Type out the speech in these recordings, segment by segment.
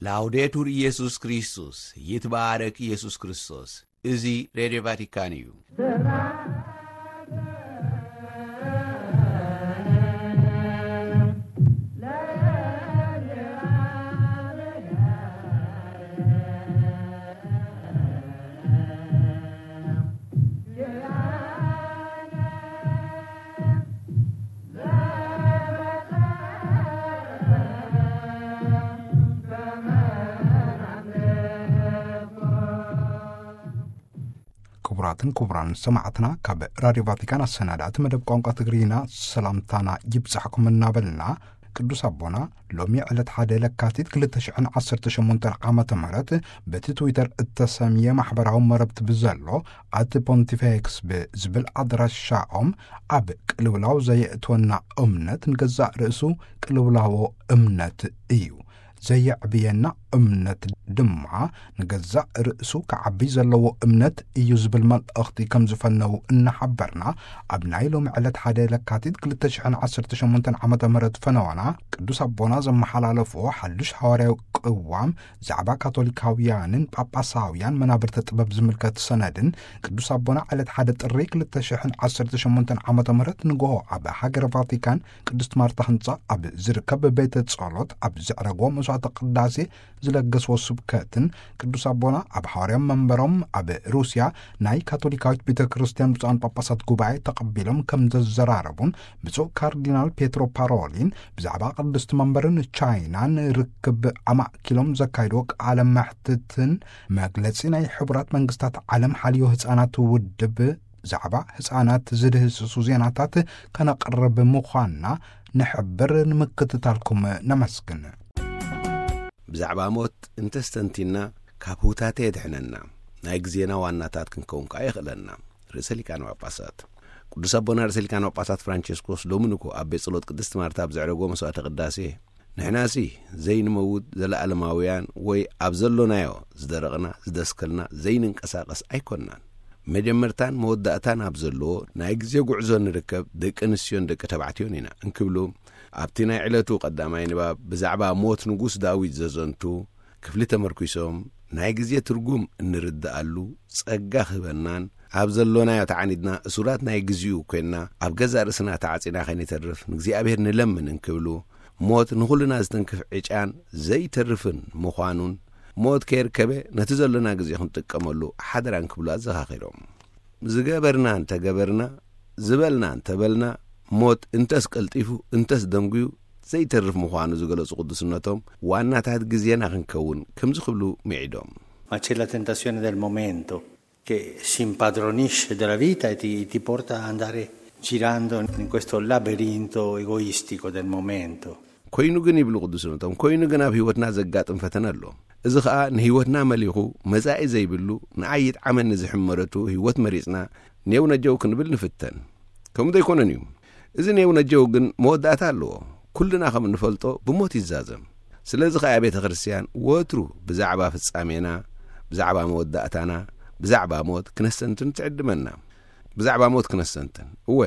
ላውዴቱር ኢየሱስ ክርስቶስ፣ ይትባረክ ኢየሱስ ክርስቶስ። እዚ ሬድዮ ቫቲካን እዩ። ክቡራትን ክቡራን ሰማዕትና፣ ካብ ራድዮ ቫቲካን ኣሰናዳእቲ መደብ ቋንቋ ትግርኛ ሰላምታና ይብጻሕኩም እናበልና፣ ቅዱስ ኣቦና ሎሚ ዕለት ሓደ ለካቲት ክልተ ሽሕን ዓሰርተ ሸሞንተን ዓመተ ምህረት በቲ ትዊተር እተሰምየ ማሕበራዊ መረብቲ ብዘሎ ኣት ፖንቲፌክስ ብዝብል ኣድራሻኦም፣ ኣብ ቅልውላው ዘየእትወና እምነት ንገዛእ ርእሱ ቅልውላዎ እምነት እዩ። ዘየዕብየና እምነት ድማ ንገዛእ ርእሱ ክዓቢ ዘለዎ እምነት እዩ ዝብል መልእኽቲ ከም ዝፈነዉ እናሓበርና፣ ኣብ ናይ ሎሚ ዕለት ሓደ ለካቲት ክልተ ሽሕን ዓሰርተ ሸሞንተን ዓመተ ምህረት ፈነዋና ቅዱስ ኣቦና ዘመሓላለፍዎ ሓድሽ ሃዋርያዊ ቅዋም ዛዕባ ካቶሊካውያንን ጳጳሳውያን መናብርተ ጥበብ ዝምልከት ሰነድን ቅዱስ ኣቦና ዕለት ሓደ ጥሪ ክልተ ሽሕን ዓሰርተ ሸሞንተን ዓመተ ምህረት ንግሆ ኣብ ሃገረ ቫቲካን ቅድስት ማርታ ህንጻ ኣብ ዝርከብ ቤተ ጸሎት ኣብ ዘዕረግዎ መስዋዕተ ቅዳሴ ዝለገስዎ ስብከትን ቅዱስ ኣቦና ኣብ ሃዋርያዊ መንበሮም ኣብ ሩስያ ናይ ካቶሊካዊት ቤተ ክርስቲያን ብፁዓን ጳጳሳት ጉባኤ ተቐቢሎም ከም ዘዘራረቡን ብፁዕ ካርዲናል ፔትሮ ፓሮሊን ብዛዕባ ቅድስቲ መንበርን ቻይናን ርክብ ኣማእኪሎም ዘካይድዎ ቃለ መሕትትን መግለጺ ናይ ሕቡራት መንግስታት ዓለም ሓልዮ ህጻናት ውድብ ዛዕባ ህጻናት ዝድህስሱ ዜናታት ከነቕርብ ምዃንና ንሕብር። ንምክትታልኩም ነመስግን። ብዛዕባ ሞት እንተስተንቲና ካብ ህውታተ የድሕነና፣ ናይ ግዜና ዋናታት ክንከውን ከኣ የኽእለና። ርእሰ ሊቃነ ጳጳሳት ቅዱስ ኣቦና ርእሰ ሊቃነ ጳጳሳት ፍራንቸስኮስ ሎሚ ንግሆ ኣብ ቤት ጸሎት ቅድስቲ ማርታ ኣብ ዘዕረግዎ መስዋዕተ ቅዳሴ፣ ንሕናሲ ዘይንመውት ዘለኣለማውያን ወይ ኣብ ዘሎናዮ ዝደረቕና ዝደስከልና ዘይንንቀሳቐስ ኣይኮንናን። መጀመርታን መወዳእታን ኣብ ዘለዎ ናይ ግዜ ጉዕዞ ንርከብ ደቂ ኣንስትዮን ደቂ ተባዕትዮን ኢና እንክብሉ፣ ኣብቲ ናይ ዕለቱ ቀዳማይ ንባብ ብዛዕባ ሞት ንጉስ ዳዊት ዘዘንቱ ክፍሊ ተመርኲሶም፣ ናይ ግዜ ትርጉም እንርድኣሉ ጸጋ ክህበናን፣ ኣብ ዘሎናዮ ተዓኒድና እሱራት ናይ ግዜኡ ኮይንና ኣብ ገዛእ ርእስና ተዓጺና ከይንተርፍ ንእግዚኣብሔር ንለምን እንክብሉ፣ ሞት ንኹልና ዝትንክፍ ዕጫን ዘይተርፍን ምዃኑን፣ ሞት ከየርከበ ነቲ ዘሎና ግዜ ክንጥቀመሉ ሓደራ እንክብሉ ኣዘኻኺሮም። ዝገበርና እንተገበርና፣ ዝበልና እንተበልና፣ ሞት እንተስ ቀልጢፉ እንተስ ደንጉዩ ዘይተርፍ ምዃኑ ዝገለጹ ቅዱስነቶም፣ ዋናታት ግዜና ክንከውን ከምዚ ክብሉ ምዒዶም። Ma c'è la tentazione del momento che si impadronisce della vita e ti, ti porta ad andare girando in questo labirinto egoistico del momento. ኮይኑ ግን ይብሉ ቅዱስነቶም፣ ኮይኑ ግን ኣብ ህይወትና ዘጋጥም ፈተነ ኣሎ። እዚ ኸኣ ንህይወትና መሊኹ መጻኢ ዘይብሉ ንኣይ ይጥዓመኒ ዝሕመረቱ ህይወት መሪጽና ኔው ነጀው ክንብል ንፍተን። ከምኡ ዘይኮነን እዩ። እዚ ኔው ነጀው ግን መወዳእታ ኣለዎ። ኩልና ከም እንፈልጦ ብሞት ይዛዘም። ስለዚ ኸኣ ቤተ ክርስቲያን ወትሩ ብዛዕባ ፍጻሜና፣ ብዛዕባ መወዳእታና፣ ብዛዕባ ሞት ክነስተንትን ትዕድመና። ብዛዕባ ሞት ክነስተንትን። እወ፣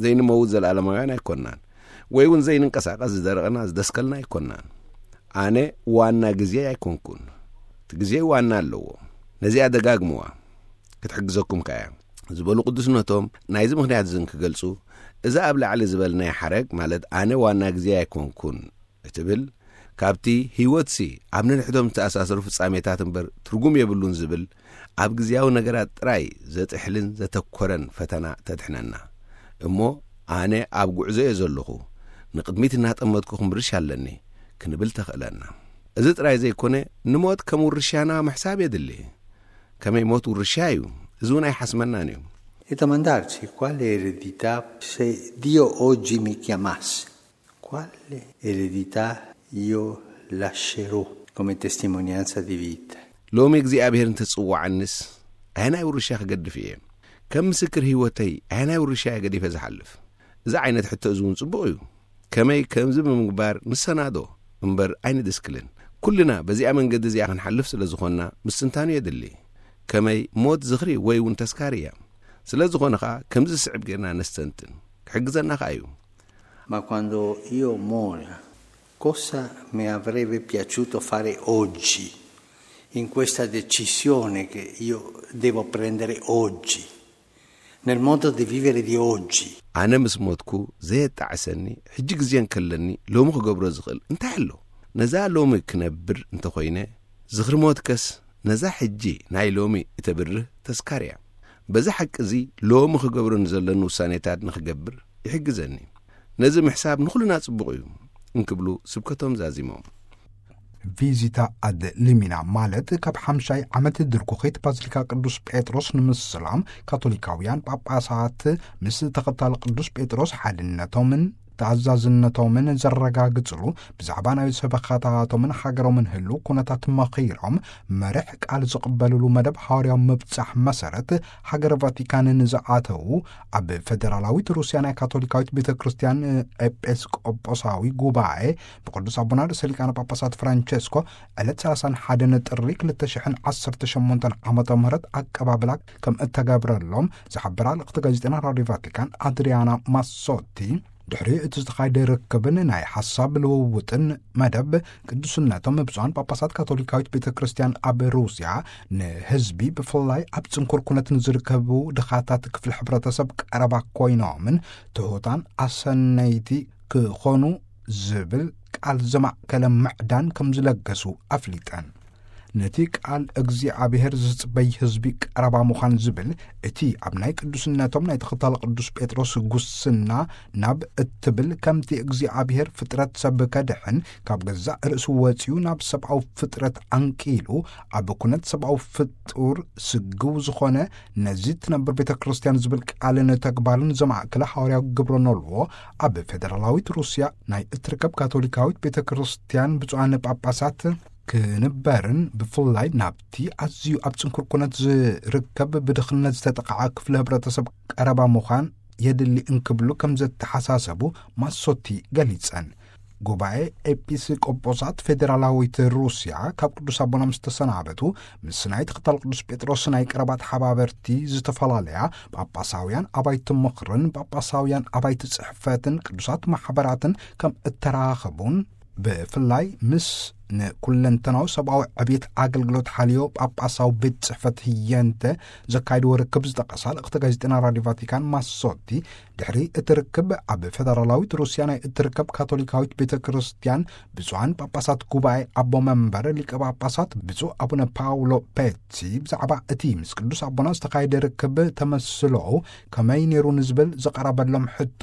ዘይንመውት ዘለኣለማውያን ኣይኮንናን። ወይ እውን ዘይንንቀሳቐስ ዝደረቕና ዝደስከልና ኣይኮንናን። ኣነ ዋና ግዜ ኣይኮንኩን። እቲ ግዜ ዋና ኣለዎ። ነዚኣ ደጋግምዋ። ክትሕግዘኩም ከኣ እያ። ዝበሉ ቅዱስነቶም ናይዚ ምኽንያት እዚ እንክገልጹ፣ እዛ ኣብ ላዕሊ ዝበልናያ ሓረግ፣ ማለት ኣነ ዋና ግዜ ኣይኮንኩን እትብል፣ ካብቲ ህይወትሲ ኣብ ነንሕዶም ዝተኣሳሰሩ ፍጻሜታት እምበር ትርጉም የብሉን ዝብል፣ ኣብ ግዜያዊ ነገራት ጥራይ ዘጥሕልን ዘተኮረን ፈተና ተድሕነና። እሞ ኣነ ኣብ ጉዕዞ እየ ዘለኹ፣ ንቕድሚት እናጠመትኩ ክምርሽ ኣለኒ ክንብል ተኽእለና። እዚ ጥራይ ዘይኮነ፣ ንሞት ከም ውርሻና ምሕሳብ የድሊ። ከመይ ሞት ውርሻ እዩ፣ እዚ እውን ኣይሓስመናን እዩ። E domandarci quale eredità, se Dio oggi mi chiamasse, quale eredità io lascerò come testimonianza di vita? ሎሚ እግዚኣብሔር እንተጽዋዓንስ፣ ኣየናይ ውርሻ ክገድፍ እየ? ከም ምስክር ህይወተይ ኣየናይ ውርሻ እየ ገዲፈ ዝሓልፍ? እዚ ዓይነት ሕቶ እዚ እውን ጽቡቕ እዩ። ከመይ ከምዚ ብምግባር ንሰናዶ እምበር ኣይንድስክልን። ኩልና በዚኣ መንገዲ እዚኣ ክንሓልፍ ስለ ዝኾንና ምስትንታኑ የድሊ። ከመይ ሞት ዝኽሪ ወይ እውን ተስካሪ እያ። ስለ ዝኾነ ኸኣ ከምዚ ዝስዕብ ጌርና ነስተንትን። ክሕግዘና ኸኣ እዩ። Ma quando io mora, Cosa mi avrebbe piaciuto fare oggi, in questa decisione che io devo prendere oggi, nel modo di vivere di oggi? ኣነ ምስ ሞትኩ ዘየጣዕሰኒ ሕጂ ግዜ እንከለኒ ሎሚ ክገብሮ ዝኽእል እንታይ ኣሎ? ነዛ ሎሚ ክነብር እንተኾይነ፣ ዝኽሪ ሞትከስ ነዛ ሕጂ ናይ ሎሚ እተብርህ ተስካር እያ። በዚ ሓቂ እዚ ሎሚ ክገብሮ ንዘለኒ ውሳኔታት ንኽገብር ይሕግዘኒ። ነዚ ምሕሳብ ንኹልና ጽቡቕ እዩ እንክብሉ ስብከቶም ዛዚሞም። ቪዚታ ኣድ ሊሚና ማለት ካብ ሓምሻይ ዓመት ድርኩኺት ባዚሊካ ቅዱስ ጴጥሮስ ንምስላም ካቶሊካውያን ጳጳሳት ምስ ተኸታሊ ቅዱስ ጴጥሮስ ሓድነቶምን ተኣዛዝነቶምን ዘረጋግጽሉ ብዛዕባ ናይ ሰበኻታቶምን ሃገሮምን ህልው ኩነታት መኺሮም መርሕ ቃል ዝቕበልሉ መደብ ሃዋርያዊ ምብጻሕ መሰረት ሃገረ ቫቲካን ንዝኣተዉ ኣብ ፌደራላዊት ሩስያ ናይ ካቶሊካዊት ቤተ ክርስቲያን ኤጲስቆጶሳዊ ጉባኤ ብቅዱስ ኣቦና ርእሰ ሊቃነ ጳጳሳት ፍራንቸስኮ ዕለት ሰላሳን ሓደን ጥሪ ክልተ ሽሕን ዓሰርተ ሸሞንተን ዓመተ ምህረት ኣቀባብላ ከም እተገብረሎም ዝሓበራ ልእኽቲ ጋዜጠና ራድዮ ቫቲካን ኣድሪያና ማሶቲ፣ ድሕሪ እቲ ዝተኻየደ ርክብን ናይ ሓሳብ ልውውጥን መደብ ቅዱስነቶም ብፁዓን ጳጳሳት ካቶሊካዊት ቤተ ክርስቲያን ኣብ ሩስያ ንህዝቢ ብፍላይ ኣብ ጽንኩር ኩነት ንዝርከቡ ድኻታት ክፍሊ ሕብረተሰብ ቀረባ ኮይኖምን ትሑታን ኣሰነይቲ ክኾኑ ዝብል ቃል ዘማእከለ ምዕዳን ከም ዝለገሱ ኣፍሊጠን። ነቲ ቃል እግዚኣብሔር ዝጽበይ ህዝቢ ቀረባ ምዃን ዝብል እቲ ኣብ ናይ ቅዱስነቶም ናይ ተኸታሊ ቅዱስ ጴጥሮስ ጉስና ናብ እትብል ከምቲ እግዚኣብሔር ፍጥረት ሰብ ከድሕን ካብ ገዛእ ርእሱ ወጺኡ ናብ ሰብኣዊ ፍጥረት ኣንቂሉ ኣብ ኩነት ሰብኣዊ ፍጡር ስግው ዝኾነ ነዚ ትነብር ቤተ ክርስቲያን ዝብል ቃልን ተግባርን ዘማእከለ ሃዋርያዊ ግብረ ኖልዎ ኣብ ፌደራላዊት ሩስያ ናይ እትርከብ ካቶሊካዊት ቤተ ክርስቲያን ብፁዓን ጳጳሳት ክንበርን ብፍላይ ናብቲ ኣዝዩ ኣብ ጽንኩር ኩነት ዝርከብ ብድኽነት ዝተጠቕዓ ክፍሊ ህብረተሰብ ቀረባ ምዃን የድሊ እንክብሉ ከም ዘተሓሳሰቡ ማሶቲ ገሊጸን። ጉባኤ ኤጲስቆጶሳት ፌደራላዊት ሩስያ ካብ ቅዱስ ኣቦና ምስ ተሰናበቱ ምስ ናይ ተኸታል ቅዱስ ጴጥሮስ ናይ ቀረባ ተሓባበርቲ ዝተፈላለያ ጳጳሳውያን ኣባይቲ ምኽርን ጳጳሳውያን ኣባይቲ ጽሕፈትን ቅዱሳት ማሕበራትን ከም እተራኸቡን ብፍላይ ምስ ንኩለንተናዊ ሰብኣዊ ዕብየት ኣገልግሎት ሓልዮ ጳጳሳዊ ቤት ጽሕፈት ህየንተ ዘካይድዎ ርክብ ዝጠቐሳ ልእኽቲ ጋዜጠና ራድዮ ቫቲካን ማሶቲ ድሕሪ እቲ ርክብ ኣብ ፌደራላዊት ሩስያ ናይ እትርከብ ካቶሊካዊት ቤተ ክርስቲያን ብፁዓን ጳጳሳት ጉባኤ ኣቦ መንበር ሊቀ ጳጳሳት ብፁዕ ኣቡነ ፓውሎ ፔቲ ብዛዕባ እቲ ምስ ቅዱስ ኣቦና ዝተኻየደ ርክብ ተመስሎ ከመይ ነይሩ ንዝብል ዝቐረበሎም ሕቶ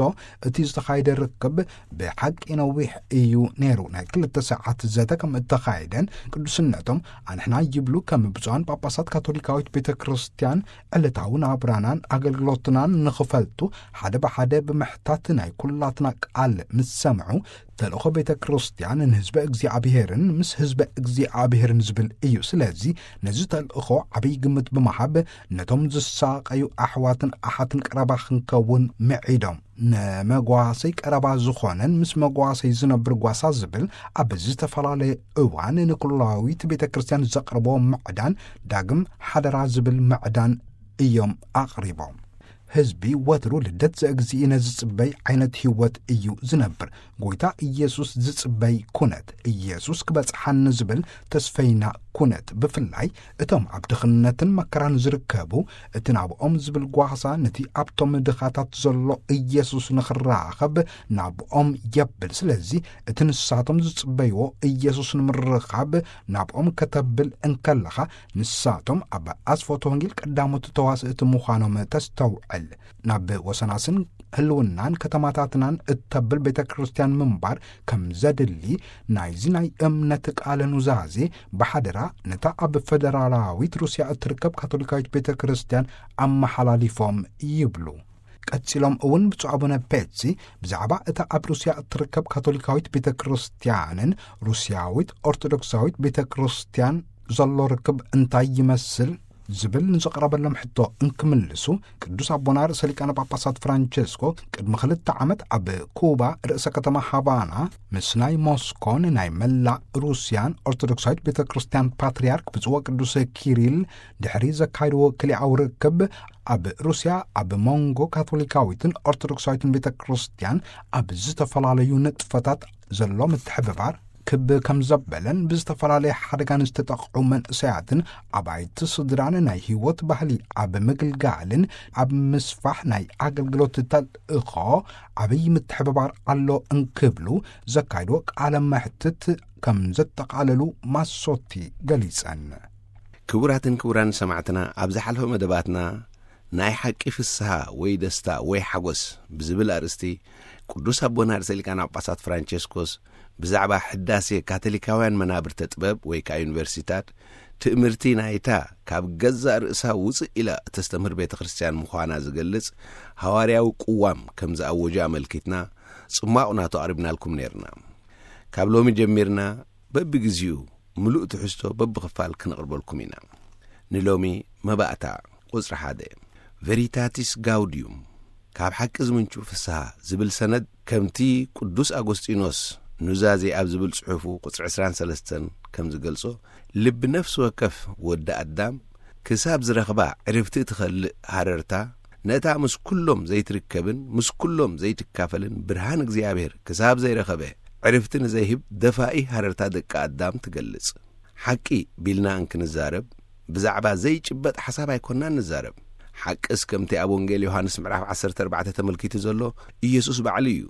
እቲ ዝተኻየደ ርክብ ብሓቂ ነዊሕ እዩ ነይሩ። ናይ ክልተ ሰዓት ዘተ ከም እተኻየደን ቅዱስነቶም ኣንሕና ይብሉ ከም ብፁዓን ጳጳሳት ካቶሊካዊት ቤተ ክርስቲያን ዕለታዊ ናብራናን ኣገልግሎትናን ንኽፈልጡ ሓደ ብሓደ ብምሕታት ናይ ኩላትና ቃል ምስ ሰምዑ ተልእኾ ቤተ ክርስቲያን ንህዝበ እግዚኣብሔርን ምስ ህዝበ እግዚኣብሔርን ዝብል እዩ። ስለዚ ነዚ ተልእኾ ዓብይ ግምት ብምሃብ ነቶም ዝሳቐዩ ኣሕዋትን ኣሓትን ቀረባ ክንከውን ምዒዶም። ንመጓሰይ ቀረባ ዝኾነን ምስ መጓሰይ ዝነብር ጓሳ ዝብል ኣብ ዝተፈላለየ እዋን ንኩላዊት ቤተ ክርስቲያን ዘቕርቦ ምዕዳን ዳግም ሓደራ ዝብል ምዕዳን እዮም ኣቕሪቦም። ህዝቢ ወትሩ ልደት ዘእግዚእነ ዝጽበይ ዓይነት ህይወት እዩ ዝነብር። ጎይታ ኢየሱስ ዝጽበይ ኩነት፣ ኢየሱስ ክበጽሓኒ ዝብል ተስፈይና ኩነት፣ ብፍላይ እቶም ኣብ ድኽነትን መከራን ዝርከቡ፣ እቲ ናብኦም ዝብል ጓሳ ነቲ ኣብቶም ድኻታት ዘሎ ኢየሱስ ንኽራኸብ ናብኦም የብል። ስለዚ እቲ ንሳቶም ዝጽበይዎ ኢየሱስ ንምርኻብ ናብኦም ከተብል እንከለኻ፣ ንሳቶም ኣብ ኣስፎቶ ወንጌል ቀዳሞት ተዋስእቲ ምዃኖም ተስተውዕል። ናብ ወሰናስን ህልውናን ከተማታትናን እተብል ቤተ ክርስቲያን ምንባር ከም ዘድሊ ናይዚ ናይ እምነት ቃለ ኑዛዜ ብሓደራ ነታ ኣብ ፈደራላዊት ሩስያ እትርከብ ካቶሊካዊት ቤተ ክርስቲያን ኣመሓላሊፎም ይብሉ። ቀጺሎም እውን ብፁዕ ኣቡነ ፔትሲ ብዛዕባ እታ ኣብ ሩስያ እትርከብ ካቶሊካዊት ቤተ ክርስቲያንን ሩስያዊት ኦርቶዶክሳዊት ቤተ ክርስቲያን ዘሎ ርክብ እንታይ ይመስል ዝብል ንዘቕረበሎም ሕቶ እንክምልሱ፣ ቅዱስ ኣቦና ርእሰ ሊቃነ ጳጳሳት ፍራንቸስኮ ቅድሚ ክልተ ዓመት ኣብ ኩባ ርእሰ ከተማ ሃቫና ምስ ናይ ሞስኮን ናይ መላእ ሩስያን ኦርቶዶክሳዊት ቤተ ክርስቲያን ፓትርያርክ ብፁዕ ወቅዱስ ኪሪል ድሕሪ ዘካይድዎ ክልኣዊ ርክብ፣ ኣብ ሩስያ ኣብ መንጎ ካቶሊካዊትን ኦርቶዶክሳዊትን ቤተ ክርስቲያን ኣብ ዝተፈላለዩ ንጥፈታት ዘሎ ምትሕብባር ክብ ከም ዘበለን፣ ብዝተፈላለየ ሓደጋ ንዝተጠቕዑ መንእሰያትን ኣባይቲ ስድራን ናይ ህይወት ባህሊ ኣብ ምግልጋልን ኣብ ምስፋሕ ናይ ኣገልግሎት ተልእኾ ዓብዪ ምትሕብባር ኣሎ እንክብሉ ዘካይድዎ ቃለ መሕትት ከም ዘጠቓለሉ ማሶቲ ገሊጸን። ክቡራትን ክቡራን ሰማዕትና፣ ኣብ ዝሓለፈ መደባትና ናይ ሓቂ ፍስሃ ወይ ደስታ ወይ ሓጎስ ብዝብል ኣርእስቲ፣ ቅዱስ ኣቦና ርእሰ ሊቃነ ጳጳሳት ፍራንቸስኮስ ብዛዕባ ሕዳሴ ካቶሊካውያን መናብርተ ጥበብ ወይ ከኣ ዩኒቨርሲታት፣ ትእምርቲ ናይታ ካብ ገዛእ ርእሳ ውጽእ ኢላ እተስተምህር ቤተ ክርስቲያን ምዃና ዝገልጽ ሃዋርያዊ ቅዋም ከም ዝኣወጀ ኣመልኪትና ጽማቕ ናቱ ኣቕሪብናልኩም ነይርና። ካብ ሎሚ ጀሚርና በብግዜኡ ምሉእ ትሕዝቶ በብኽፋል ክነቕርበልኩም ኢና። ንሎሚ መባእታ ቁጽሪ ሓደ፣ ቨሪታቲስ ጋውዲዩም፣ ካብ ሓቂ ዝምንጩ ፍስሃ ዝብል ሰነድ፣ ከምቲ ቅዱስ ኣጎስጢኖስ ኑዛዜ ኣብ ዝብል ጽሑፉ ቁጽሪ ዕስራን ሰለስተን ከም ዝገልጾ፣ ልቢ ነፍሲ ወከፍ ወዲ ኣዳም ክሳብ ዝረኽባ ዕርፍቲ እትኸልእ ሃረርታ፣ ነታ ምስ ኩሎም ዘይትርከብን ምስ ኩሎም ዘይትካፈልን ብርሃን እግዚኣብሔር ክሳብ ዘይረኸበ ዕርፍቲ ንዘይህብ ደፋኢ ሃረርታ ደቂ ኣዳም ትገልጽ። ሓቂ ቢልና እንክንዛረብ፣ ብዛዕባ ዘይጭበጥ ሓሳብ ኣይኮንናን ንዛረብ። ሓቅስ ከምቲ ኣብ ወንጌል ዮሃንስ ምዕራፍ ዓሰርተ ኣርባዕተ ተመልኪቱ ዘሎ ኢየሱስ ባዕሉ እዩ።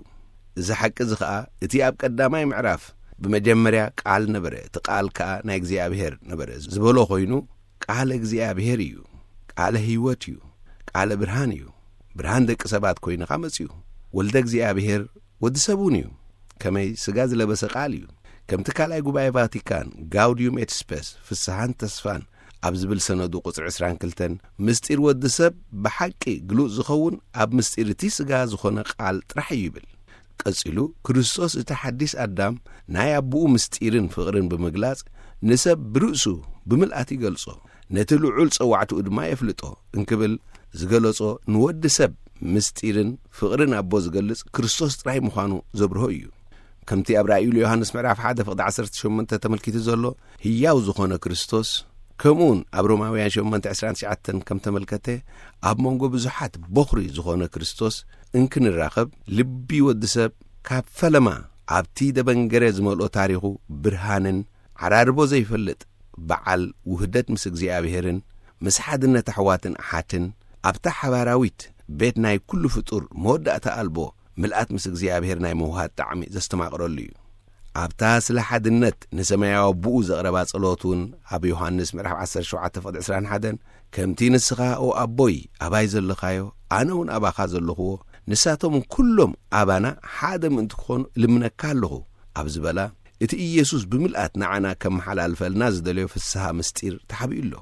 እዚ ሓቂ እዚ ኸኣ እቲ ኣብ ቀዳማይ ምዕራፍ ብመጀመርያ ቃል ነበረ፣ እቲ ቃል ከኣ ናይ እግዚኣብሔር ነበረ ዝበሎ ኾይኑ፣ ቃል እግዚኣብሔር እዩ፣ ቃለ ህይወት እዩ፣ ቃለ ብርሃን እዩ። ብርሃን ደቂ ሰባት ኮይኑ ኸኣ መጺኡ። ወልደ እግዚኣብሔር ወዲ ሰብ እውን እዩ። ከመይ ስጋ ዝለበሰ ቃል እዩ። ከምቲ ካልኣይ ጉባኤ ቫቲካን ጋውዲዩም ኤት ስፐስ፣ ፍስሃን ተስፋን ኣብ ዝብል ሰነዱ ቁጽሪ ዕስራን ክልተን፣ ምስጢር ወዲ ሰብ ብሓቂ ግሉጽ ዝኸውን ኣብ ምስጢር እቲ ስጋ ዝኾነ ቃል ጥራሕ እዩ ይብል። ቀጺሉ፣ ክርስቶስ እቲ ሓዲስ ኣዳም ናይ ኣቦኡ ምስጢርን ፍቕርን ብምግላጽ፣ ንሰብ ብርእሱ ብምልኣት ይገልጾ፣ ነቲ ልዑል ጸዋዕትኡ ድማ የፍልጦ እንክብል ዝገለጾ፣ ንወዲ ሰብ ምስጢርን ፍቕርን ኣቦ ዝገልጽ ክርስቶስ ጥራይ ምዃኑ ዘብርሆ እዩ። ከምቲ ኣብ ራእዩ ዮሃንስ ምዕራፍ ሓደ ፍቕዲ ዓሰርተ ሸሞንተ ተመልኪቱ ዘሎ፣ ህያው ዝኾነ ክርስቶስ፣ ከምኡውን ኣብ ሮማውያን ሸሞንተ ዕስራን ትሽዓተን ከም ተመልከተ፣ ኣብ መንጎ ብዙሓት ቦኽሪ ዝኾነ ክርስቶስ እንክንራኸብ፣ ልቢ ወዲ ሰብ ካብ ፈለማ ኣብቲ ደበንገረ ዝመልኦ ታሪኹ ብርሃንን ዓራርቦ ዘይፈልጥ በዓል ውህደት ምስ እግዚኣብሔርን ምስ ሓድነት ኣሕዋትን ኣሓትን ኣብታ ሓባራዊት ቤት ናይ ኩሉ ፍጡር መወዳእታ ኣልቦ ምልኣት ምስ እግዚኣብሔር ናይ ምውሃድ ጣዕሚ ዘስተማቕረሉ እዩ። ኣብታ ስለ ሓድነት ንሰማያዊ ኣቦኡ ዘቕረባ ጸሎት እውን ኣብ ዮሃንስ ምዕራፍ ዓሰርተ ሸውዓተ ፍቕዲ ዕስራን ሓደን፣ ከምቲ ንስኻ ኦ ኣቦይ ኣባይ ዘለኻዮ፣ ኣነ እውን ኣባኻ ዘለኽዎ፣ ንሳቶም ኩሎም ኣባና ሓደ ምእንቲ ክኾኑ እልምነካ ኣለኹ ኣብ ዝበላ፣ እቲ ኢየሱስ ብምልኣት ንዓና ከመሓላልፈልና ዝደለዮ ፍስሃ ምስጢር ተሓቢኡ ኣሎ።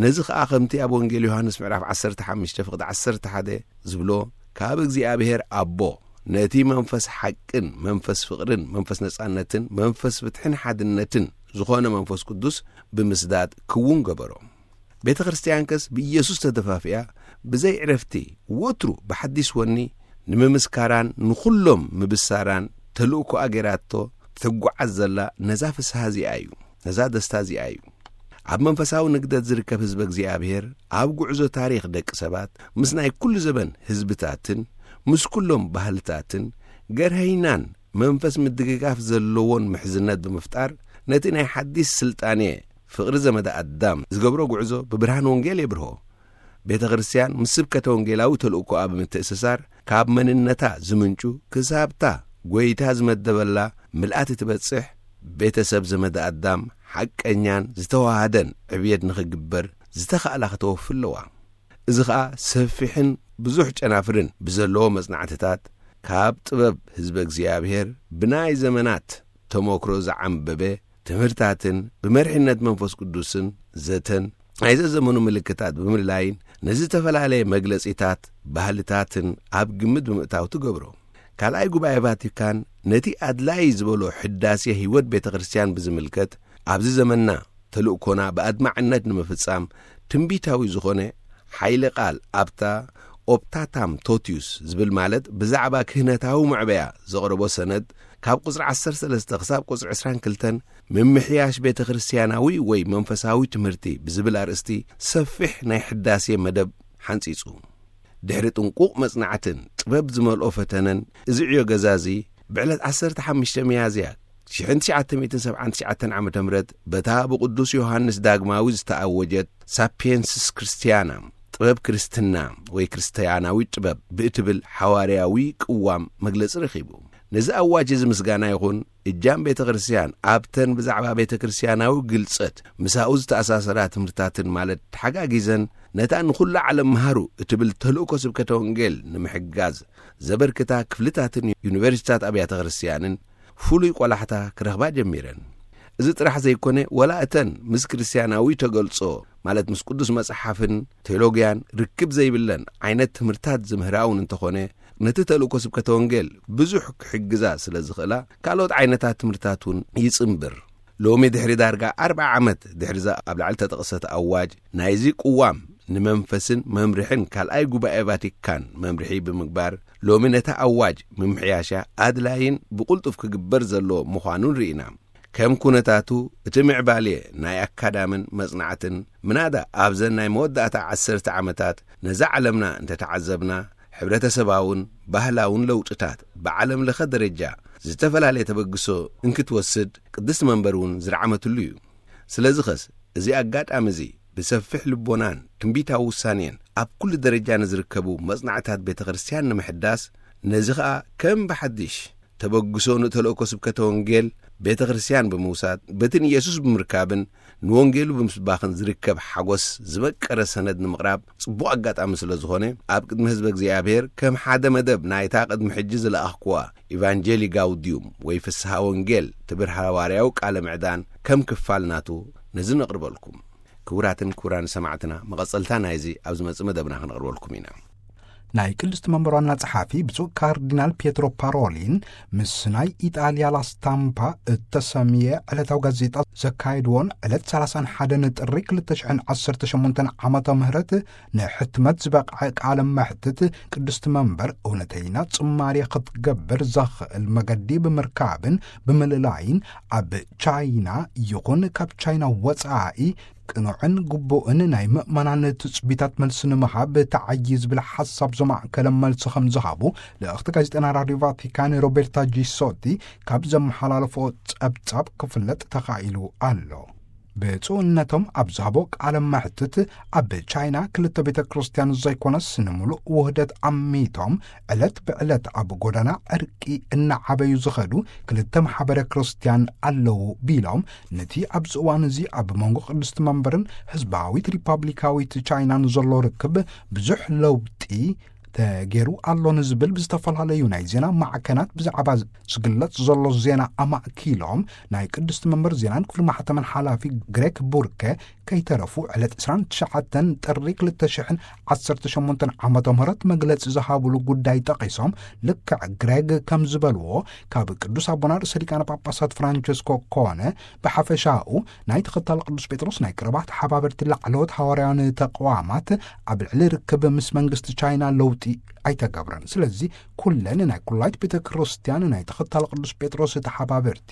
ነዚ ኸኣ ከምቲ ኣብ ወንጌል ዮሃንስ ምዕራፍ ዓሰርተ ሓሙሽተ ፍቕዲ ዓሰርተ ሓደ ዝብሎ፣ ካብ እግዚኣብሔር ኣቦ ነቲ መንፈስ ሓቅን መንፈስ ፍቕርን መንፈስ ነጻነትን መንፈስ ፍትሕን ሓድነትን ዝኾነ መንፈስ ቅዱስ ብምስዳድ ክውን ገበሮ። ቤተ ክርስቲያን ከስ ብኢየሱስ ተደፋፊኣ ብዘይ ዕረፍቲ ወትሩ ብሓዲስ ወኒ ንምምስካራን ንኹሎም ምብሳራን ተልእኮኣ ገይራቶ ትጓዓዝ ዘላ ነዛ ፍስሃ እዚኣ እዩ፣ ነዛ ደስታ እዚኣ እዩ። ኣብ መንፈሳዊ ንግደት ዝርከብ ህዝበ እግዚኣብሔር ኣብ ጉዕዞ ታሪኽ ደቂ ሰባት ምስ ናይ ኩሉ ዘበን ህዝብታትን ምስ ኩሎም ባህልታትን ገርሀይናን መንፈስ ምድግጋፍ ዘለዎን ምሕዝነት ብምፍጣር ነቲ ናይ ሓዲስ ስልጣኔ ፍቕሪ ዘመደ ኣዳም ዝገብሮ ጉዕዞ ብብርሃን ወንጌል የብርሆ። ቤተ ክርስቲያን ምስ ስብከተ ወንጌላዊ ተልእኮኣ ብምትእስሳር ካብ መንነታ ዝምንጩ ክሳብታ ጐይታ ዝመደበላ ምልኣት እትበጽሕ ቤተሰብ ዘመደ ኣዳም ሓቀኛን ዝተዋሃደን ዕብየት ንኽግበር ዝተኻእላ ከተወፊ ኣለዋ። እዚ ኸኣ ሰፊሕን ብዙሕ ጨናፍርን ብዘለዎ መጽናዕትታት ካብ ጥበብ ህዝበ እግዚኣብሔር ብናይ ዘመናት ተመክሮ ዝዓምበበ ትምህርታትን ብመሪሕነት መንፈስ ቅዱስን ዘተን ናይ ዘዘመኑ ምልክታት ብምልላይን ንዝተፈላለየ መግለጺታት ባህልታትን ኣብ ግምት ብምእታው ትገብሮ። ካልኣይ ጉባኤ ቫቲካን ነቲ ኣድላዪ ዝበሎ ሕዳሴ ህይወት ቤተ ክርስቲያን ብዝምልከት ኣብዚ ዘመንና ተልእኮና ብኣድማዕነት ንምፍጻም ትንቢታዊ ዝኾነ ሓይለ ቃል ኣብታ ኦፕታታም ቶቲዩስ ዝብል፣ ማለት ብዛዕባ ክህነታዊ መዕበያ ዘቕረቦ ሰነድ፣ ካብ ቁጽሪ ዓሰርተ ሰለስተ ክሳብ ቁጽሪ ዕስራን ክልተን፣ ምምሕያሽ ቤተ ክርስቲያናዊ ወይ መንፈሳዊ ትምህርቲ ብዝብል ኣርእስቲ ሰፊሕ ናይ ሕዳሴ መደብ ሓንጺጹ። ድሕሪ ጥንቁቕ መጽናዕትን ጥበብ ዝመልኦ ፈተነን፣ እዚ ዕዮ ገዛ እዚ ብዕለት ዓሰርተ ሓሙሽተ ሚያዝያ ሽሕን ትሽዓተ ሚእትን ሰብዓን ትሽዓተን ዓመተ ምህረት በታ ብቅዱስ ዮሃንስ ዳግማዊ ዝተኣወጀት ሳፒየንስስ ክርስቲያና፣ ጥበብ ክርስትና ወይ ክርስትያናዊ ጥበብ ብእትብል ሓዋርያዊ ቅዋም መግለጺ ረኺቡ። ነዚ ኣዋጅ እዚ ምስጋና ይኹን፣ እጃም ቤተ ክርስቲያን ኣብተን ብዛዕባ ቤተ ክርስቲያናዊ ግልጸት ምሳኡ ዝተኣሳሰራ ትምህርትታትን፣ ማለት ተሓጋጊዘን ነታ ንኹሉ ዓለም መሃሩ እትብል ተልእኮ ስብከተ ወንጌል ንምሕጋዝ ዘበርክታ ክፍልታትን ዩኒቨርሲታት ኣብያተ ክርስቲያንን ፍሉይ ቆላሕታ ክረኽባ ጀሚረን። እዚ ጥራሕ ዘይኮነ፣ ወላ እተን ምስ ክርስቲያናዊ ተገልጾ፣ ማለት ምስ ቅዱስ መጽሓፍን ቴዎሎግያን ርክብ ዘይብለን ዓይነት ትምህርታት ዝምህራ እውን እንተኾነ፣ ነቲ ተልእኮ ስብከተ ወንጌል ብዙሕ ክሕግዛ ስለ ዝኽእላ፣ ካልኦት ዓይነታት ትምህርታት እውን ይጽንብር። ሎሚ ድሕሪ ዳርጋ ኣርብዓ ዓመት ድሕሪ እዛ ኣብ ላዕሊ ተጠቕሰት ኣዋጅ ናይዚ ቅዋም፣ ንመንፈስን መምርሕን ካልኣይ ጉባኤ ቫቲካን መምርሒ ብምግባር፣ ሎሚ ነታ ኣዋጅ ምምሕያሻ ኣድላይን ብቕልጡፍ ክግበር ዘለዎ ምዃኑን ርኢና። ከም ኩነታቱ፣ እቲ ምዕባሌ ናይ ኣካዳምን መጽናዕትን፣ ምናዳ ኣብዘን ናይ መወዳእታ ዓሰርተ ዓመታት ነዛ ዓለምና እንተተዓዘብና፣ ሕብረተሰባውን ባህላውን ለውጥታት ብዓለም ለኸ ደረጃ ዝተፈላለየ ተበግሶ እንክትወስድ ቅድስቲ መንበር እውን ዝረዓመትሉ እዩ። ስለዚ ኸስ፣ እዚ ኣጋጣሚ እዚ ብሰፊሕ ልቦናን ትንቢታዊ ውሳኔን ኣብ ኩሉ ደረጃ ንዝርከቡ መጽናዕታት ቤተ ክርስቲያን ንምሕዳስ፣ ነዚ ኸኣ ከም ብሓድሽ ተበግሶ ንተልእኮ ስብከተ ወንጌል ቤተ ክርስቲያን ብምውሳድ፣ በቲ ንየሱስ ብምርካብን ንወንጌሉ ብምስባኽን ዝርከብ ሓጎስ ዝመቀረ ሰነድ ንምቕራብ ጽቡቕ ኣጋጣሚ ስለ ዝኾነ፣ ኣብ ቅድሚ ህዝበ እግዚኣብሔር ከም ሓደ መደብ ናይታ ቅድሚ ሕጂ ዝለኣኽኩዋ ኢቫንጀሊ ጋውዲዩም ወይ ፍስሃ ወንጌል ትብር ሃዋርያዊ ቃለ ምዕዳን ከም ክፋል ናቱ ነዚ ነቕርበልኩም። ክቡራትን ክቡራን ሰማዕትና፣ መቐጸልታ ናይዚ ኣብ ዝመጽእ መደብና ክነቕርበልኩም ኢና። ናይ ቅድስቲ መንበር ዋና ጸሓፊ ብፁዕ ካርዲናል ፒየትሮ ፓሮሊን ምስ ናይ ኢጣልያ ላስታምፓ እተሰምየ ዕለታዊ ጋዜጣ ዘካየድዎን ዕለት ሰላሳን ሓደን ጥሪ ክልተ ሽሕን ዓሰርተ ሸሞንተን ዓመተ ምህረት ንሕትመት ዝበቕዐ ቃለ መሕትት፣ ቅድስቲ መንበር እውነተይና ጽማሬ ክትገብር ዘኽእል መገዲ ብምርካብን ብምልላይን፣ ኣብ ቻይና ይኹን ካብ ቻይና ወጻኢ ቅኑዕን ግቡእን ናይ ምእመናን ትጽቢታት መልሲ ንምሃብ ተዓዪ ዝብል ሓሳብ ዘማእከለ መልሲ ከም ዝሃቡ ልእኽቲ ጋዜጠና ራድዮ ቫቲካን ሮቤርታ ጂሶቲ ካብ ዘመሓላለፎ ጸብጻብ ክፍለጥ ተኻኢሉ ኣሎ። ብፁዕነቶም ኣብ ዝሃቦ ቃለ መሕትት፣ ኣብ ቻይና ክልተ ቤተ ክርስቲያን ዘይኮነስ፣ ንምሉእ ውህደት ኣሚቶም ዕለት ብዕለት ኣብ ጎዳና ዕርቂ እናዓበዩ ዝኸዱ ክልተ ማሕበረ ክርስቲያን ኣለዉ ቢሎም፣ ነቲ ኣብዚ እዋን እዚ ኣብ መንጎ ቅድስቲ መንበርን ህዝባዊት ሪፓብሊካዊት ቻይናን ዘሎ ርክብ ብዙሕ ለውጢ ተገይሩ ኣሎ ንዝብል ብዝተፈላለዩ ናይ ዜና ማዕከናት ብዛዕባ ዝግለጽ ዘሎ ዜና ኣማእኪሎም፣ ናይ ቅድስቲ መንበር ዜናን ክፍሊ ማሕተምን ሓላፊ ግሬክ ቡርከ ከይተረፉ፣ ዕለት ዕስራን ትሽዓተን ጥሪ ክልተ ሽሕን ዓሰርተ ሸሞንተን ዓመተ ምህረት መግለጺ ዝሃብሉ ጉዳይ ጠቒሶም፣ ልክዕ ግሬግ ከም ዝበልዎ፣ ካብ ቅዱስ ኣቦና ርእሰ ሊቃነ ጳጳሳት ፍራንቸስኮ ኮነ ብሓፈሻኡ ናይ ተኸታሊ ቅዱስ ጴጥሮስ ናይ ቀረባ ተሓባበርቲ ላዕለዎት ሃዋርያውያን ተቋማት ኣብ ልዕሊ ርክብ ምስ መንግስቲ ቻይና ለውጢ ኣይተገብረን። ስለዚ ኩለን ናይ ኩላይት ቤተ ክርስቲያን ናይ ተኸታሊ ቅዱስ ጴጥሮስ ተሓባበርቲ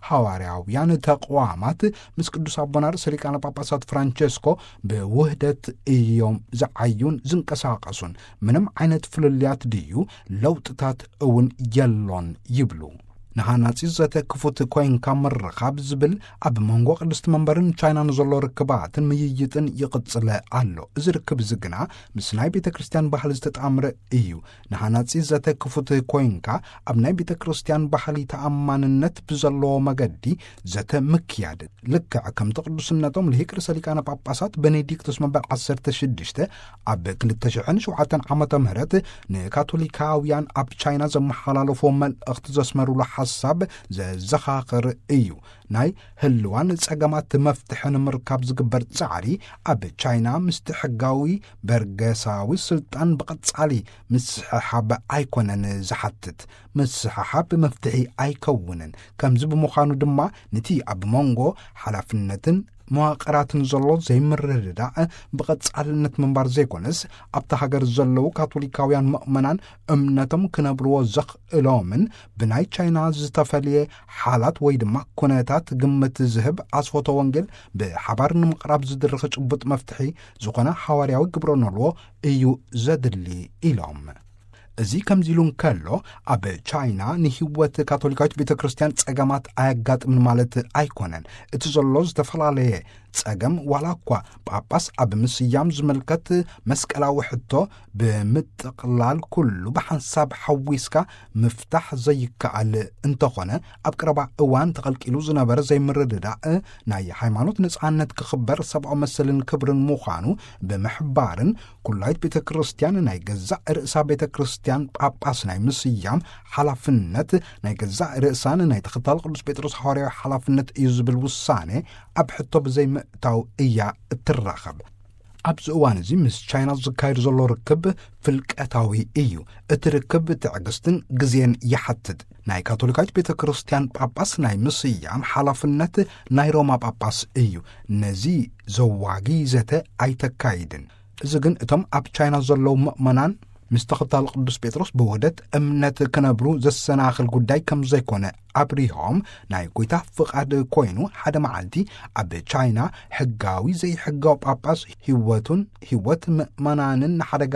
ሃዋርያውያን ተቋማት ምስ ቅዱስ ኣቦና ርእሰ ሊቃነ ጳጳሳት ፍራንቸስኮ ብውህደት እዮም ዝዓዩን ዝንቀሳቐሱን። ምንም ዓይነት ፍልልያት ድዩ ለውጥታት እውን የሎን ይብሉ። ንሃናጺ ዘተ ክፉት ኮይንካ ምርኻብ ዝብል ኣብ መንጎ ቅድስቲ መንበርን ቻይናን ዘሎ ርክባትን ምይይጥን ይቕጽለ ኣሎ። እዚ ርክብ እዚ ግና ምስ ናይ ቤተ ክርስቲያን ባህሊ ዝተጣምረ እዩ። ንሃናጺ ዘተ ክፉት ኮይንካ ኣብ ናይ ቤተ ክርስቲያን ባህሊ ተኣማንነት ብዘለዎ መገዲ ዘተ ምክያድ፣ ልክዕ ከምቲ ቅዱስነቶም ልሂቅ ርእሰ ሊቃነ ጳጳሳት ቤኔዲክቶስ መንበር ዓሰርተ ሽዱሽተ ኣብ ክልተ ሽሕን ሸውዓተን ዓመተ ምህረት ንካቶሊካውያን ኣብ ቻይና ዘመሓላለፎ መልእኽቲ ዘስመሩሉ ሓሳብ ዘዘኻኽር እዩ። ናይ ህልዋን ጸገማት መፍትሒ ንምርካብ ዝግበር ጻዕሪ ኣብ ቻይና ምስቲ ሕጋዊ በርገሳዊ ስልጣን ብቐጻሊ ምስሕሓብ ኣይኮነን ዝሓትት። ምስሕሓብ መፍትሒ ኣይከውንን። ከምዚ ብምዃኑ ድማ ነቲ ኣብ መንጎ ሓላፍነትን መዋቕራትን ዘሎ ዘይምርድዳእ ብቐጻልነት ምንባር ዘይኮነስ፣ ኣብታ ሃገር ዘለዉ ካቶሊካውያን ምእመናን እምነቶም ክነብርዎ ዘኽእሎምን ብናይ ቻይና ዝተፈልየ ሓላት ወይ ድማ ኩነታት ግምት ዝህብ ኣስፎተ ወንጌል ብሓባር ንምቕራብ ዝድርኽ ጭቡጥ መፍትሒ ዝኾነ ሓዋርያዊ ግብረ ኖልዎ እዩ ዘድሊ ኢሎም። እዚ ከምዚ ኢሉ እንከሎ፣ ኣብ ቻይና ንህይወት ካቶሊካዊት ቤተ ክርስቲያን ጸገማት ኣየጋጥምን ማለት ኣይኮነን። እቲ ዘሎ ዝተፈላለየ ጸገም፣ ዋላ እኳ ጳጳስ ኣብ ምስያም ዝምልከት መስቀላዊ ሕቶ ብምጥቕላል ኩሉ ብሓንሳብ ሓዊስካ ምፍታሕ ዘይከኣል እንተኾነ፣ ኣብ ቀረባ እዋን ተቐልቂሉ ዝነበረ ዘይምርድዳእ ናይ ሃይማኖት ነጻነት ክኽበር ሰብኣዊ መሰልን ክብርን ምዃኑ ብምሕባርን፣ ኩላይት ቤተ ክርስቲያን ናይ ገዛእ ርእሳ ቤተ ክርስቲያን ጳጳስ ናይ ምስያም ሓላፍነት ናይ ገዛእ ርእሳን ናይ ተኸታሊ ቅዱስ ጴጥሮስ ሃዋርያዊ ሓላፍነት እዩ ዝብል ውሳኔ ኣብ ሕቶ ብዘይምእታው እያ እትራኸብ። ኣብዚ እዋን እዚ ምስ ቻይና ዝካየድ ዘሎ ርክብ ፍልቀታዊ እዩ። እቲ ርክብ ትዕግስትን ግዜን ይሓትት። ናይ ካቶሊካዊት ቤተ ክርስቲያን ጳጳስ ናይ ምስያም ሓላፍነት ናይ ሮማ ጳጳስ እዩ። ነዚ ዘዋጊ ዘተ ኣይተካይድን። እዚ ግን እቶም ኣብ ቻይና ዘለዉ ምእመናን ምስ ተኸታሊ ቅዱስ ጴጥሮስ ብውህደት እምነት ክነብሩ ዘሰናኽል ጉዳይ ከም ዘይኮነ ኣብሪሆም፣ ናይ ጐይታ ፍቓድ ኮይኑ ሓደ መዓልቲ ኣብ ቻይና ሕጋዊ ዘይሕጋዊ ጳጳስ ህይወቱን ህይወት ምእመናንን ንሓደጋ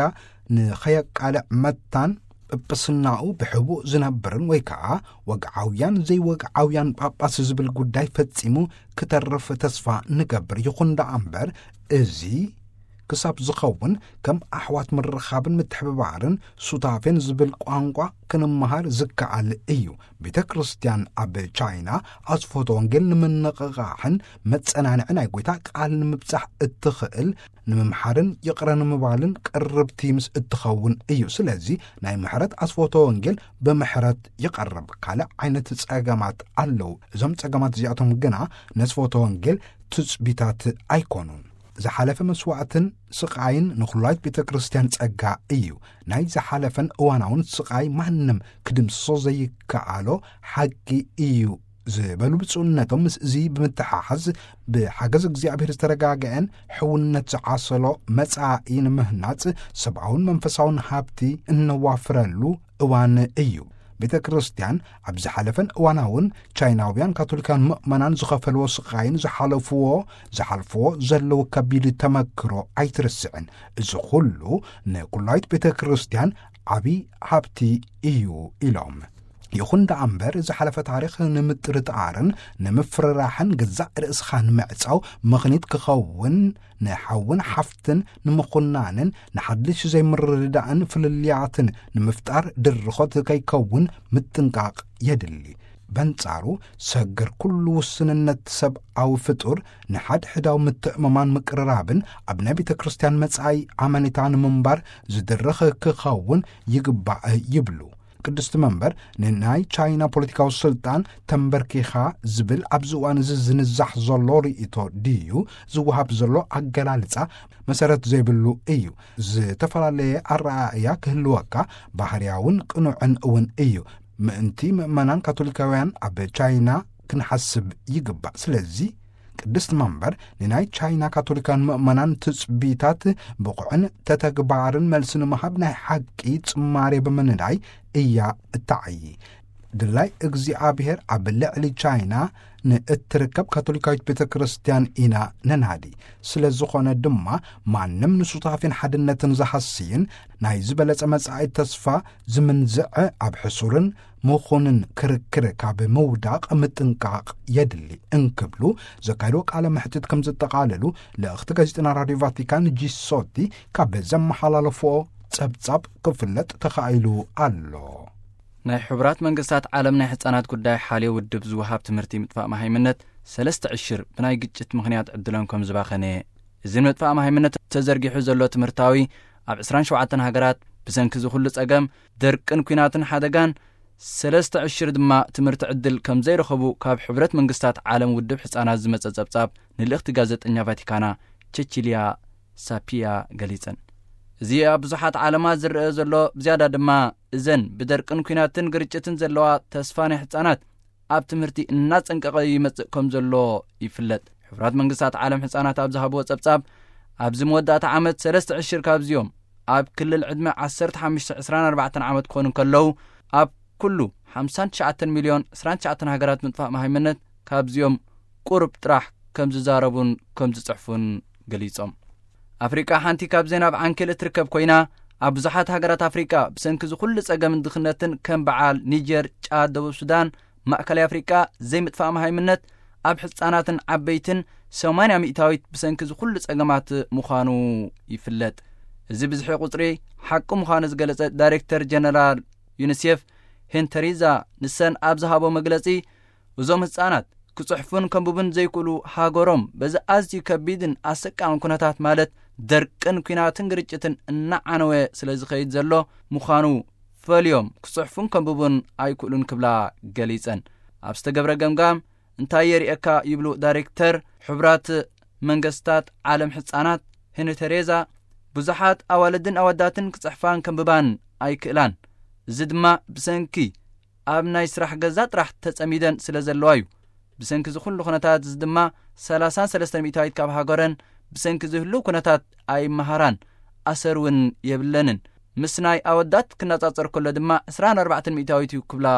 ንኸየቃልዕ መታን ጵጵስናኡ ብሕቡእ ዝነብርን ወይ ከኣ ወግዓውያን ዘይወግዓውያን ጳጳስ ዝብል ጉዳይ ፈጺሙ ክተርፍ ተስፋ ንገብር። ይኹን ደኣ እምበር፣ እዚ ክሳብ ዝኸውን ከም ኣሕዋት ምርኻብን ምትሕብባርን ሱታፌን ዝብል ቋንቋ ክንመሃር ዝከኣል እዩ። ቤተ ክርስቲያን ኣብ ቻይና ኣስፎተ ወንጌል ንምንቕቓሕን መጸናንዒ ናይ ጐይታ ቃል ንምብጻሕ እትኽእል ንምምሓርን ይቕረ ንምባልን ቅርብቲ ምስ እትኸውን እዩ። ስለዚ ናይ ምሕረት ኣስፎተ ወንጌል ብምሕረት ይቐርብ። ካልእ ዓይነት ጸገማት ኣለዉ። እዞም ጸገማት እዚኣቶም ግና ነስፎተ ወንጌል ትጽቢታት ኣይኮኑን። ዝሓለፈ መስዋዕትን ስቓይን ንኹላይት ቤተ ክርስቲያን ጸጋ እዩ። ናይ ዝሓለፈን እዋናውን ስቓይ ማንም ክድምስሶ ዘይከኣሎ ሓቂ እዩ ዝበሉ ብፁዕነቶም፣ ምስ እዚ ብምትሓሓዝ ብሓገዝ እግዚኣብሔር ዝተረጋገአን ሕውነት ዝዓሰሎ መጻኢ ንምህናጽ ሰብኣውን መንፈሳውን ሃብቲ እነዋፍረሉ እዋን እዩ። ቤተ ክርስቲያን ኣብ ዝሓለፈን እዋናውን ቻይናውያን ካቶሊካን ምእመናን ዝኸፈልዎ ስቓይን ዝሓለፍዎ ዝሓልፍዎ ዘለዉ ከቢድ ተመክሮ ኣይትርስዕን። እዚ ኩሉ ንኩላይት ቤተ ክርስቲያን ዓቢ ሃብቲ እዩ ኢሎም። ይኹን ደኣ እምበር፣ ዝሓለፈ ታሪኽ ንምጥርጣርን ንምፍርራሕን፣ ገዛእ ርእስኻ ንምዕጻው ምኽኒት ክኸውን፣ ንሓውን ሓፍትን ንምኹናንን ንሓድሽ ዘይምርድዳእን ፍልልያትን ንምፍጣር ድርኾት ከይከውን ምጥንቃቕ የድሊ። በንጻሩ፣ ሰግር ኩሉ ውስንነት ሰብኣዊ ፍጡር ንሓድሕዳዊ ምትእምማን ምቅርራብን ኣብ ናይ ቤተ ክርስቲያን መጻኢ ኣመኔታ ንምንባር ዝድርኽ ክኸውን ይግባእ ይብሉ። ቅድስቲ መንበር ንናይ ቻይና ፖለቲካዊ ስልጣን ተንበርኪኻ ዝብል ኣብዚ እዋን እዚ ዝንዛሕ ዘሎ ርእይቶ ድዩ ዝወሃብ ዘሎ ኣገላልጻ መሰረት ዘይብሉ እዩ። ዝተፈላለየ ኣረኣእያ ክህልወካ ባህርያውን ቅኑዕን እውን እዩ። ምእንቲ ምእመናን ካቶሊካውያን ኣብ ቻይና ክንሓስብ ይግባእ። ስለዚ ቅድስቲ መንበር ንናይ ቻይና ካቶሊካን ምእመናን ትጽቢታት ብቑዕን ተተግባርን መልሲ ንምሃብ ናይ ሓቂ ጽማሬ ብምንዳይ እያ እተዓዪ። ድላይ እግዚኣብሔር ኣብ ልዕሊ ቻይና ንእትርከብ ካቶሊካዊት ቤተ ክርስቲያን ኢና ነናዲ። ስለ ዝኾነ ድማ ማንም ንሱታፌን ሓድነትን ዝሃስይን ናይ ዝበለጸ መጻኢ ተስፋ ዝምንዝዐ ኣብ ሕሱርን ምኹንን ክርክር ካብ ምውዳቕ ምጥንቃቕ የድሊ እንክብሉ ዘካየድዎ ቃለ መሕትት ከም ዘጠቓለሉ ልእኽቲ ጋዜጠና ራድዮ ቫቲካን ጂሶቲ ካብ ዘመሓላለፍኦ ጸብጻብ ክፍለጥ ተኻኢሉ ኣሎ። ናይ ሕቡራት መንግስታት ዓለም ናይ ሕጻናት ጉዳይ ሓልዮ ውድብ ዝወሃብ ትምህርቲ ምጥፋእ መሃይምነት ሰለስተ ዕሽር ብናይ ግጭት ምኽንያት ዕድሎም ከም ዝባኸነ፣ እዚ ንምጥፋእ መሃይምነት ተዘርጊሑ ዘሎ ትምህርታዊ ኣብ ዕስራን ሸውዓተን ሃገራት ብሰንኪ እዚ ኩሉ ጸገም፣ ደርቅን ኲናትን ሓደጋን ሰለስተ ዕሽር ድማ ትምህርቲ ዕድል ከም ዘይረኸቡ ካብ ሕብረት መንግስታት ዓለም ውድብ ሕጻናት ዝመጸ ጸብጻብ ንልእኽቲ ጋዜጠኛ ቫቲካና ቸቺልያ ሳፒያ ገሊጸን። እዚ ኣብ ብዙሓት ዓለማት ዝረአ ዘሎ ብዝያዳ ድማ እዘን ብደርቅን ኲናትን ግርጭትን ዘለዋ ተስፋ ናይ ሕጻናት ኣብ ትምህርቲ እናጸንቀቐ ይመጽእ ከም ዘሎ ይፍለጥ። ሕቡራት መንግስታት ዓለም ህጻናት ኣብ ዝሃብዎ ጸብጻብ፣ ኣብዚ መወዳእታ ዓመት ሰለስተ ዕሽር ካብዚኦም ኣብ ክልል ዕድመ ዓሰርተ ሓሙሽተ ዕስራን ኣርባዕተን ዓመት ክኾኑ እንከለዉ፣ ኣብ ኩሉ ሓምሳን ትሽዓተን ሚልዮን ዕስራን ትሽዓተን ሃገራት ምጥፋእ መሃይምነት ካብዚኦም ቁሩብ ጥራሕ ከም ዝዛረቡን ከም ዝጽሕፉን ገሊጾም። ኣፍሪቃ ሓንቲ ካብ ዜናብ ዓንኬል እትርከብ ኮይና፣ ኣብ ብዙሓት ሃገራት ኣፍሪቃ ብሰንኪ እዚ ኩሉ ጸገምን ድኽነትን ከም በዓል ኒጀር፣ ጫድ፣ ደቡብ ሱዳን፣ ማእከላይ ኣፍሪቃ ዘይምጥፋእ መሃይምነት ኣብ ህጻናትን ዓበይትን ሰማንያ ሚእታዊት ብሰንኪ እዚ ኩሉ ጸገማት ምዃኑ ይፍለጥ። እዚ ብዝሒ ቁጽሪ ሓቂ ምዃኑ ዝገለጸ ዳይሬክተር ጀነራል ዩኒሴፍ ሄንተሪዛ ንሰን ኣብ ዝሃቦ መግለጺ፣ እዞም ህጻናት ክጽሕፉን ከንብቡን ዘይክእሉ፣ ሃገሮም በዚ ኣዝዩ ከቢድን ኣሰቃቕን ኩነታት ማለት ደርቅን ኲናትን ግርጭትን እናዓነወ ስለ ዝኸይድ ዘሎ ምዃኑ ፈልዮም ክጽሕፉን ከንብቡን ኣይክእሉን ክብላ ገሊጸን። ኣብ ዝተገብረ ገምጋም እንታይ የርእየካ ይብሉ ዳይሬክተር ሕቡራት መንግስታት ዓለም ህጻናት ሄንተሬዛ፣ ብዙሓት ኣዋልድን ኣወዳትን ክጽሕፋን ከንብባን ኣይክእላን። እዚ ድማ ብሰንኪ ኣብ ናይ ስራሕ ገዛ ጥራሕ ተጸሚደን ስለ ዘለዋ እዩ። ብሰንኪ እዚ ኩሉ ኩነታት እዚ ድማ ሰላሳን ሰለስተን ሚእታዊት ካብ ሃገረን ብሰንኪ ዝህሉ ኩነታት ኣይመሃራን፣ ኣሰር እውን የብለንን። ምስ ናይ ኣወዳት ክነጻጸር ከሎ ድማ ዕስራን ኣርባዕተን ሚእታዊት እዩ ክብላ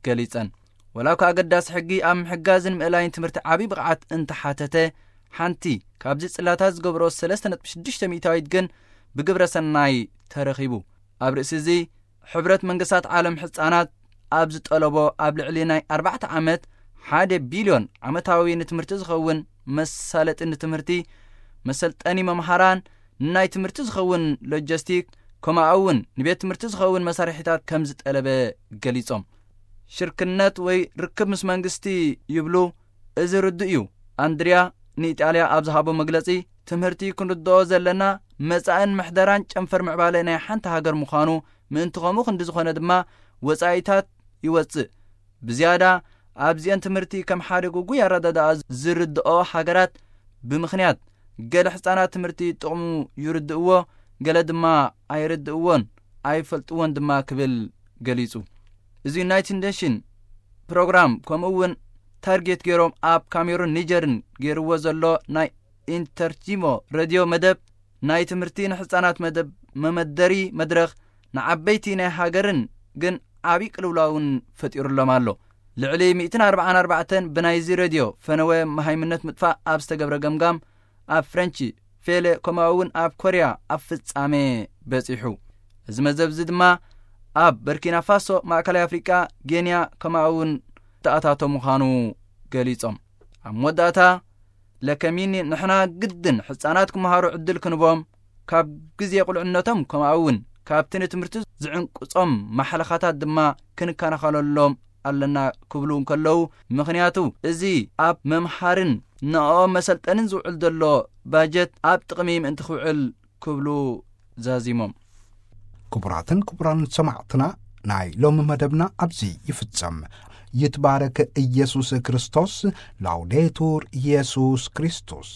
ገሊጸን። ወላ እኳ ኣገዳሲ ሕጊ ኣብ ምሕጋዝን ምእላይን ትምህርቲ ዓቢ ብቕዓት እንተሓተተ፣ ሓንቲ ካብዚ ጽላታት ዝገብሮ ሰለስተ ነጥቢ ሽዱሽተ ሚእታዊት ግን ብግብረ ሰናይ ተረኺቡ። ኣብ ርእሲ እዚ፣ ሕብረት መንግስታት ዓለም ህጻናት ኣብ ዝጠለቦ ኣብ ልዕሊ ናይ ኣርባዕተ ዓመት ሓደ ቢልዮን ዓመታዊ ንትምህርቲ ዝኸውን መሳለጢ ንትምህርቲ፣ መሰልጠኒ መምሃራን፣ ንናይ ትምህርቲ ዝኸውን ሎጂስቲክ፣ ከምኡ እውን ንቤት ትምህርቲ ዝኸውን መሳርሒታት ከም ዝጠለበ ገሊጾም። ሽርክነት ወይ ርክብ ምስ መንግስቲ ይብሉ፣ እዚ ርዱእ እዩ። ኣንድሪያ ንኢጣልያ ኣብ ዝሃቦ መግለጺ፣ ትምህርቲ ክንርድኦ ዘለና መጻእን ምሕደራን ጨንፈር ምዕባለ ናይ ሓንቲ ሃገር ምዃኑ፣ ምእንቲ ከምኡ ክንዲ ዝኾነ ድማ ወጻኢታት ይወጽእ። ብዝያዳ ኣብዚአን ትምህርቲ ከም ሓደ ግጉይ ኣረዳድኣ ዝርድኦ ሃገራት ብምኽንያት ገለ ህጻናት ትምህርቲ ጥቕሙ ይርድእዎ፣ ገለ ድማ ኣይርድእዎን ኣይፈልጥዎን ድማ ክብል ገሊጹ። እዚ ዩናይትድ ኔሽን ፕሮግራም ከምኡ እውን ታርጌት ገይሮም ኣብ ካሜሩን ኒጀርን ገይርዎ ዘሎ ናይ ኢንተርቲሞ ሬድዮ መደብ ናይ ትምህርቲ ንህጻናት መደብ መመደሪ መድረኽ ንዓበይቲ ናይ ሃገርን ግን ዓቢ ቅልውላውን ፈጢሩሎም ኣሎ። ልዕሊ ሚእትን ኣርባዓን ኣርባዕተን ብናይዚ ሬድዮ ፈነወ መሃይምነት ምጥፋእ ኣብ ዝተገብረ ገምጋም ኣብ ፍረንቺ ፌለ ከምኡ እውን ኣብ ኮርያ ኣብ ፍጻሜ በጺሑ። እዚ መዘብ እዚ ድማ ኣብ በርኪና ፋሶ፣ ማእከላይ ኣፍሪቃ፣ ጌንያ ከምኡ እውን ተኣታቶ ምዃኑ ገሊጾም። ኣብ መወዳእታ ለከሚኒ ንሕና ግድን ህጻናት ክመሃሩ ዕድል ክንቦም፣ ካብ ግዜ ቁልዕነቶም ከምኡ እውን ካብቲ ንትምህርቲ ዝዕንቅጾም ማሕለኻታት ድማ ክንከናኸለሎም ኣለና ክብሉ እንከለዉ፣ ምኽንያቱ እዚ ኣብ መምሃርን ንዕኦም መሰልጠንን ዝውዕል ዘሎ ባጀት ኣብ ጥቕሚ ምእንቲ ክውዕል ክብሉ ዛዚሞም። ክቡራትን ክቡራን ሰማዕትና፣ ናይ ሎሚ መደብና ኣብዚ ይፍጸም። ይትባረክ ኢየሱስ ክርስቶስ። ላውዴቱር ኢየሱስ ክርስቶስ።